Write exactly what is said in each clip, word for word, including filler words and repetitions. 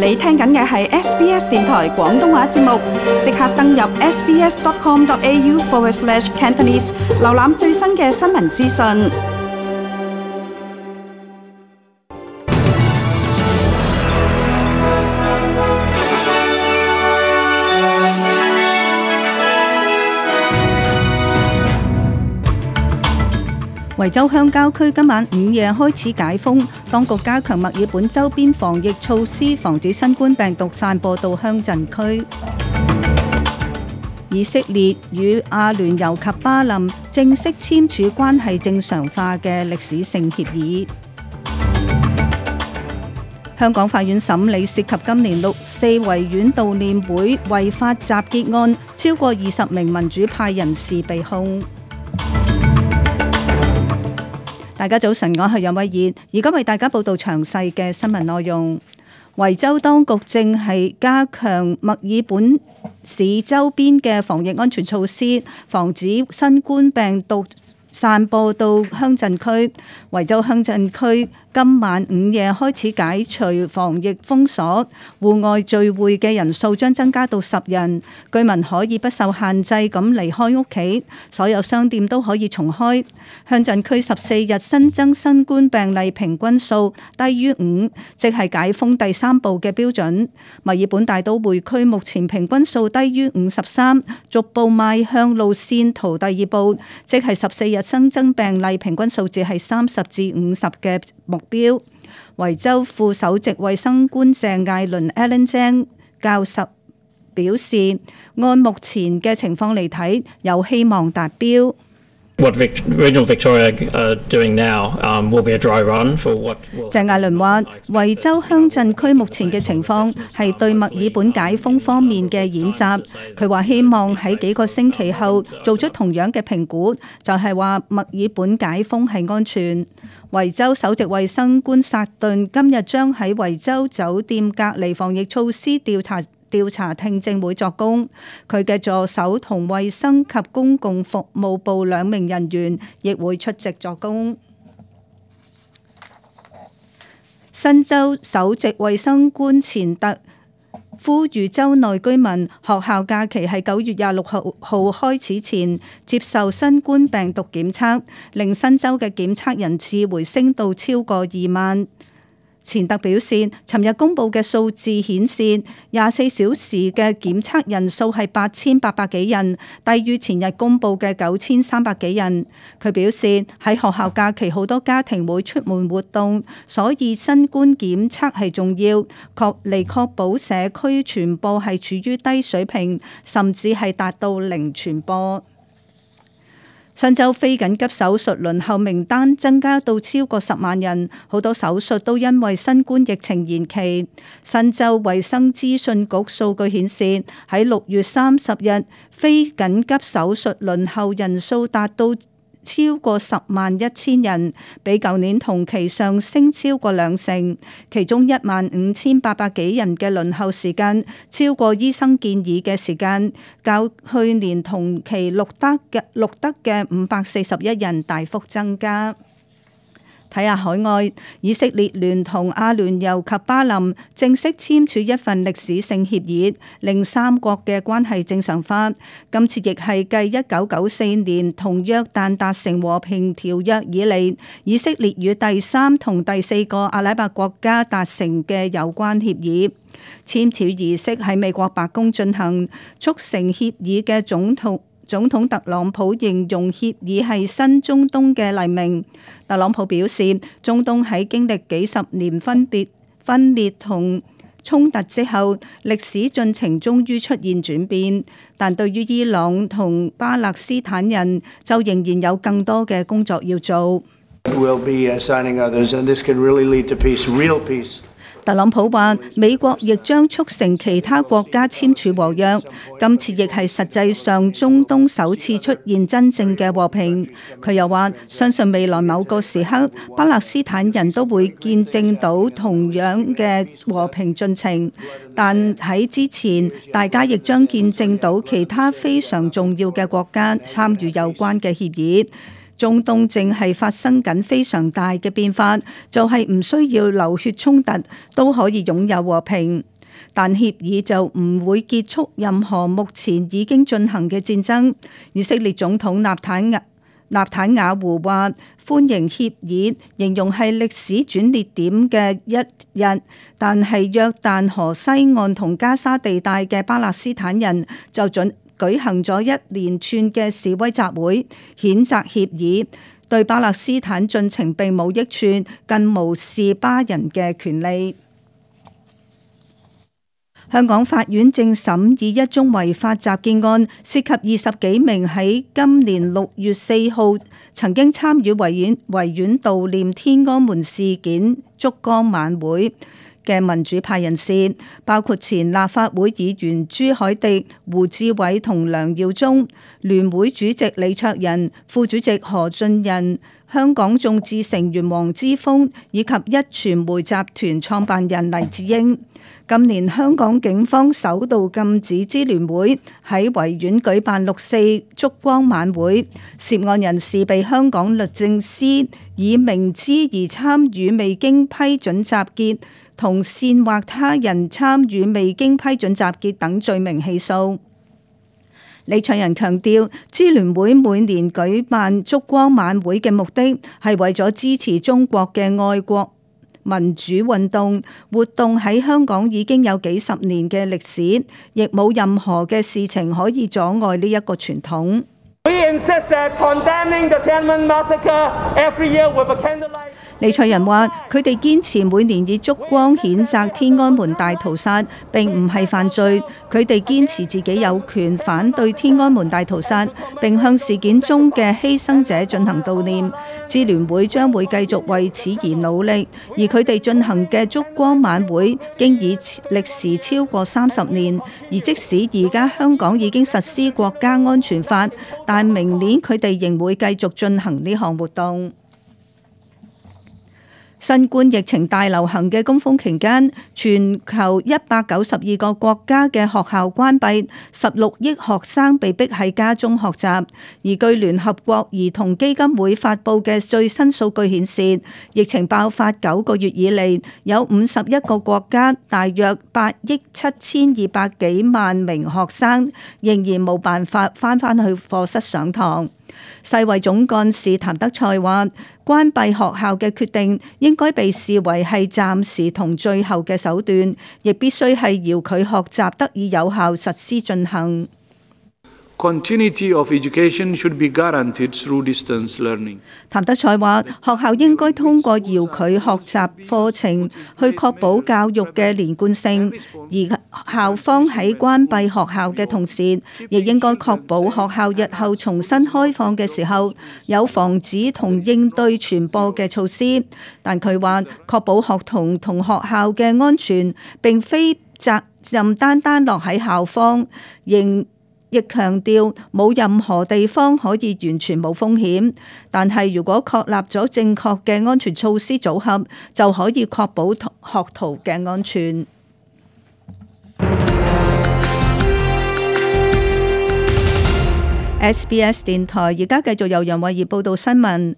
你聽緊嘅係 S B S 電台廣東話節目，即刻登入 sbs.com.au forward slash Cantonese， 瀏覽最新嘅新聞資訊。維州鄉郊區今晚午夜開始解封，當局加強墨爾本周邊防疫措施，防止新冠病毒散播到鄉鎮區。以色列與阿聯酋及巴林正式簽署關係正常化嘅歷史性協議。香港法院審理涉及今年六四維園悼念會違法集結案，超過二十名民主派人士被控。大家早晨，我係楊慧燕，而家為大家報道詳細嘅新聞內容。維州當局正係加強墨爾本市周邊嘅防疫安全措施，防止新冠病毒散播到鄉鎮區。維州鄉鎮區今晚午夜開始解除防疫封鎖，戶外聚會嘅人數將增加到十人，居民可以不受限制咁離開屋企，所有商店都可以重開。鄉鎮區十四日新增新冠病例平均數低於五，即係解封第三步嘅標準。墨爾本大都會區目前平均數低於五十三，逐步邁向路線圖第二步，即係十四日新增病例平均數字係三十至五十嘅目標。維州副首席衛生官鄭艾倫 Alan Zhang 教授表示，按目前嘅情況嚟睇，有希望達標。What Regional Victoria are doing now um, will be a dry run for what will... 鄭艾倫話，維州鄉鎮區目前嘅情況係對墨爾本解封方面嘅演習。佢話希望喺幾個星期後做出同樣嘅評估，就係話墨爾本解封係安全。維州首席衛生官薩頓今日將喺維州酒店隔離防疫措施調查調查聽證會作供，佢嘅助手同衛生及公共服務部兩名人員亦會出席作供。新州首席衛生官錢特呼籲州內居民學校假期喺九月廿六號開始前接受新冠病毒檢測，令新州嘅檢測人次回升到超過二萬。錢特表示，尋日公佈嘅數字顯示，廿四小時嘅檢測人數係八千八百幾人，低於前日公佈嘅九千三百幾人。佢表示，喺學校假期好多家庭會出門活動，所以新冠檢測係重要，確嚟確保社區傳播係處於低水平，甚至係達到零傳播。新州非緊急手術輪候名單增加到超過十萬人，好多手術都因為新冠疫情延期。新州衛生資訊局數據顯示，喺六月三十日，非緊急手術輪候人數達到超過十萬一千人，比舊年同期上升超過兩成。其中一萬五千八百幾人嘅輪候時間超過醫生建議嘅時間，較去年同期錄得嘅錄得嘅五百四十一人大幅增加。睇下海外，以色列聯同阿聯酋及巴林正式簽署一份歷史性協議，令三國嘅關係正常化。今次亦係繼一九九四年同約旦達成和平條約以嚟，以色列與第三同第四個阿拉伯國家達成嘅有關協議。簽署儀式喺美國白宮進行，促成協議嘅總統總統特朗普形容協議係新中東嘅黎明。特朗普表示，中東喺經歷幾十年分別分裂同衝突之後，歷史進程終於出現轉變，但對於伊朗同巴勒斯坦人就仍然有更多嘅工作要做。特朗普話，美國亦將促成其他國家簽署和約，今次亦係實際上中東首次出現真正嘅和平。佢又話，相信未來某個時刻，巴勒斯坦人都會見證到同樣嘅和平進程，但喺之前，大家亦將見證到其他非常重要嘅國家參與有關嘅協議。中東正係發生緊非常大嘅變化，就係唔需要流血衝突都可以擁有和平。但協議就唔會結束任何目前已經進行嘅戰爭。以色列總統納坦雅納坦雅胡話歡迎協議，形容係歷史轉捩點嘅一日。但係約旦河西岸同加沙地帶嘅巴勒斯坦人就準舉行咗一連串嘅示威集會，譴責協議對巴勒斯坦進程並冇益處，更無視巴人嘅權利。香港法院正審議一宗違法襲擊案，涉及二十幾名喺今年六月四號曾經參與維園維園悼念天安門事件燭光晚會嘅民主派人士，包括前立法會議員朱凱廸、胡志偉同梁耀忠、聯會主席李卓人、副主席何俊仁、香港眾志成員黃之鋒以及一傳媒集團創辦人黎智英。今年香港警方首度禁止支聯會喺維園舉辦六四燭光晚會，涉案人士被香港律政司以明知而參與未經批准集結同煽惑他人參與未經批准集結等罪名起訴。李卓人強調，支聯會每年舉辦燭光晚會嘅目的係為咗支持中國嘅愛國民主運動活動，喺香港已經有幾十年嘅歷史，亦冇任何嘅事情可以阻礙呢一個傳統。李卓人話：佢哋堅持每年以燭光譴責天安門大屠殺並唔係犯罪，佢哋堅持自己有權反對天安門大屠殺，並向事件中嘅犧牲者進行悼念。支聯會將會繼續為此而努力，而佢哋進行嘅燭光晚會經已歷時超過三十年，而即使而家香港已經實施國家安全法，但明年佢哋仍會繼續進行呢項活動。新冠疫情大流行嘅高峰期間，全球一百九十二個國家嘅學校關閉，十六億學生被逼喺家中學習。而據聯合國兒童基金會發布嘅最新數據顯示，疫情爆發九個月以嚟，有五十一個國家，大約八億七千二百幾萬名學生仍然冇辦法返返去課室上堂。世衛總幹事譚德塞話：關閉學校嘅決定應該被視為係暫時同最後嘅手段，亦必須係遙距學習得以有效實施進行。Continuity of education should be guaranteed through distance learning. 譚德塞話：學校應該通過遙距學習課程去確保教育嘅連貫性，而校方喺關閉學校嘅同時，亦應該確保學校日後重新開放嘅時候有防止同應對傳播嘅措施。但佢話確保學童同學校嘅安全並非責任單單落喺校方，仍亦強調冇任何地方可以完全冇風險，但係如果確立咗正確嘅安全措施組合，就可以確保學徒嘅安全。S B S 電台而家繼續由楊慧儀報道新聞。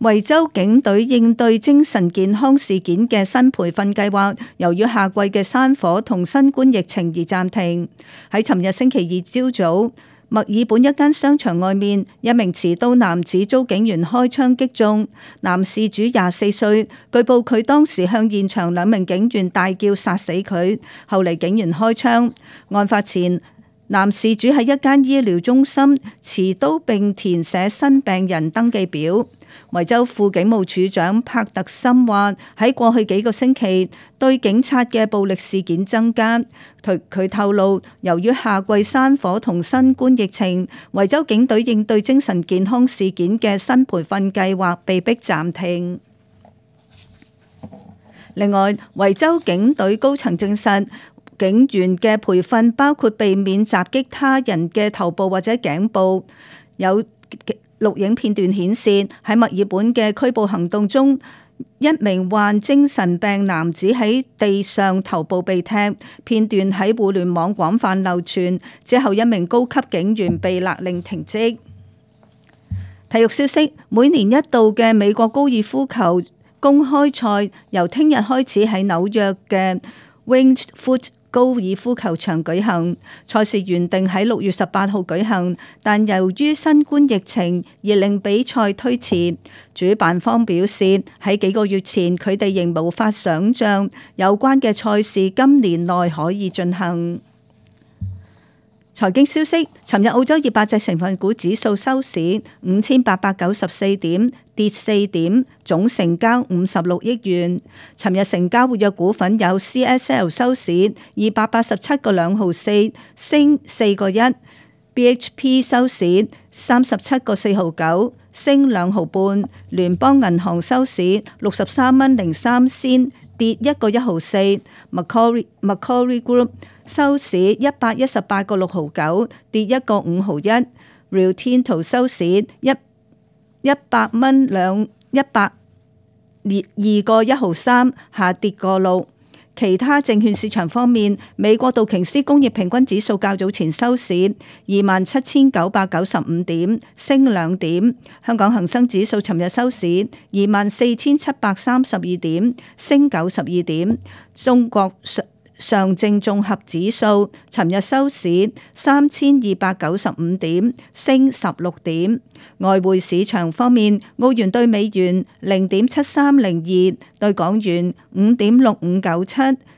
維州警隊應對精神健康事件嘅新培訓計劃，由於夏季嘅山火同新冠疫情而暫停。喺尋日星期二朝早，墨爾本一間商場外面，一名持刀男子遭警員開槍擊中。男事主廿四歲，據報佢當時向現場兩名警員大叫殺死佢，後嚟警員開槍。案發前，男事主喺一間醫療中心持刀並填寫新病人登記表。維州副警務處長帕特森話：喺過去幾個星期，對警察嘅暴力事件增加。佢佢透露，由於夏季山火同新冠疫情，維州警隊應對精神健康事件嘅新培訓計劃被迫暫停。另外，維州警隊高層證實，警員嘅培訓包括避免襲擊他人嘅頭部或者頸部。有錄影片段顯示，喺墨爾本嘅拘捕行動中，一名患精神病男子喺地上頭部被踢，片段喺互聯網廣泛流傳。之後，一名高級警員被勒令停職。體育消息：每年一度嘅美國高爾夫球公開賽由聽日開始喺紐約嘅 Winged Foot 高爾夫球場舉行。賽事原定喺六月十八號舉行，但由於新冠疫情而令比賽推遲。主辦方表示，喺幾個月前佢哋仍無法想像有關嘅賽事今年內可以進行。財經消息，尋日澳洲二百隻成分股指數收市五千八百九十四點，跌四點，總成交五十六億元。尋日成交活躍股份有 C S L 收市二百八十七個兩毫四，升四個一。B H P 收市三十七個四毫九，升兩毫半。聯邦銀行收市六十三蚊零三仙，跌一個一毫四。Macquarie Macquarie Group收市一百一十八個六毫九，跌一個五毫一。Rio Tinto 收市一一百蚊兩一百二個一毫三，下跌個六。其他證券市場方面，美國道瓊斯工業平均指數較早前收市二萬七千九百九十五點，升兩點。香港恒生指數尋日收市二萬四千七百三十二點，升九十二點。中國上證綜合指數尋日收市三千二百九十五點，升十六點。外匯市場方面，澳元對美元零點七三零二，對港元五點六五九七，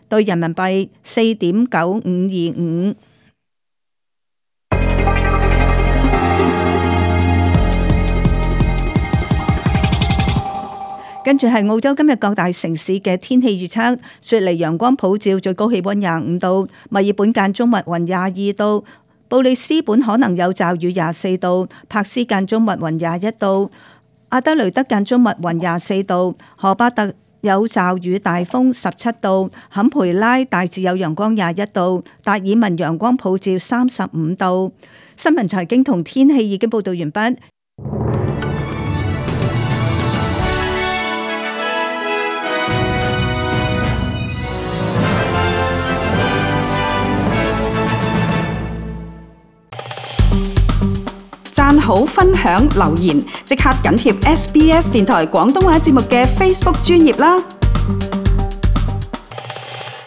對人民幣四點九五二五。跟住係澳洲今日各大城市嘅天氣預測：雪梨陽光普照，最高氣溫廿五度；墨爾本間中密雲廿二度；布里斯本可能有驟雨廿四度；柏斯間中密雲廿一度；阿德雷德間中密雲廿四度；荷巴特有驟雨大風十七度；坎培拉大致有陽光廿一度；達爾文陽光普照三十五度。新聞財經同天氣已經報道完畢。讚好、分享、留言，即刻緊貼 S B S 電台廣東話節目嘅 Facebook 專頁啦！